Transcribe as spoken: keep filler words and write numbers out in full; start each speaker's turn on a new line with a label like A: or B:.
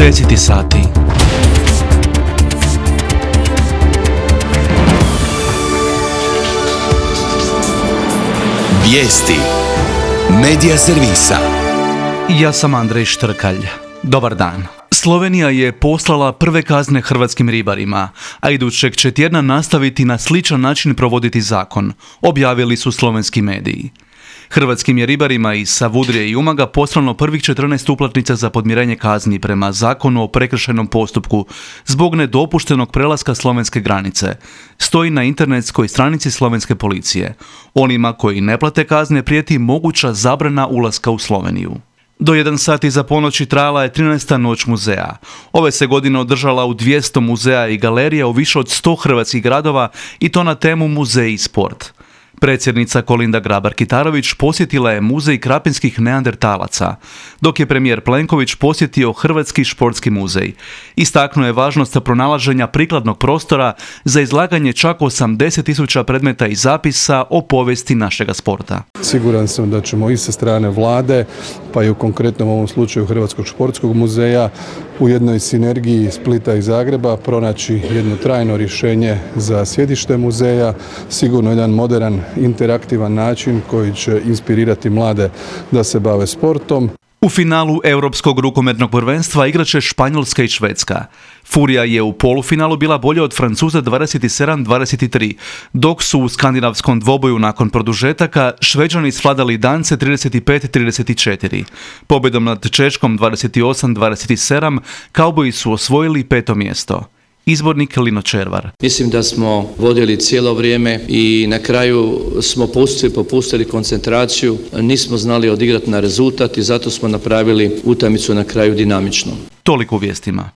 A: Deseti sati.
B: Vijesti Medija servisa.
A: Ja sam Andrej Štrkalj. Dobar dan. Slovenija je poslala prve kazne hrvatskim ribarima, a idućeg će tjedna nastaviti na sličan način provoditi zakon, objavili su slovenski mediji. Hrvatskim je ribarima iz Savudrije i Umaga poslano prvih četrnaest uplatnica za podmirenje kazni prema zakonu o prekršajnom postupku zbog nedopuštenog prelaska slovenske granice. Stoji na internetskoj stranici slovenske policije. Onima koji ne plate kazne prijeti moguća zabrana ulaska u Sloveniju. Do jedan sat iza ponoći trajala je trinaesta noć muzeja. Ove se godine održala u dvjesto muzeja i galerija u više od sto hrvatskih gradova i to na temu muzej i sport. Predsjednica Kolinda Grabar-Kitarović posjetila je muzej krapinskih neandertalaca, dok je premijer Plenković posjetio Hrvatski športski muzej. Istaknuo je važnost pronalaženja prikladnog prostora za izlaganje čak osamdeset tisuća predmeta i zapisa o povijesti našega sporta.
C: Siguran sam da ćemo i sa strane vlade, pa i u konkretnom ovom slučaju Hrvatskog športskog muzeja, u jednoj sinergiji Splita i Zagreba pronaći jedno trajno rješenje za sjedište muzeja, sigurno jedan moderan, interaktivan način koji će inspirirati mlade da se bave sportom.
A: U finalu Europskog rukometnog prvenstva igraće Španjolska i Švedska. Furija je u polufinalu bila bolja od Francuza dvadeset sedam dvadeset tri, dok su u skandinavskom dvoboju nakon produžetaka Šveđani svladali Dance trideset pet trideset četiri. Pobjedom nad Češkom dvadeset osam dvadeset sedam Kauboji su osvojili peto mjesto. Izbornik Lino Červar.
D: Mislim da smo vodili cijelo vrijeme i na kraju smo pustili, popustili koncentraciju, nismo znali odigrati na rezultat i zato smo napravili utakmicu na kraju dinamično.
A: Toliko u vijestima.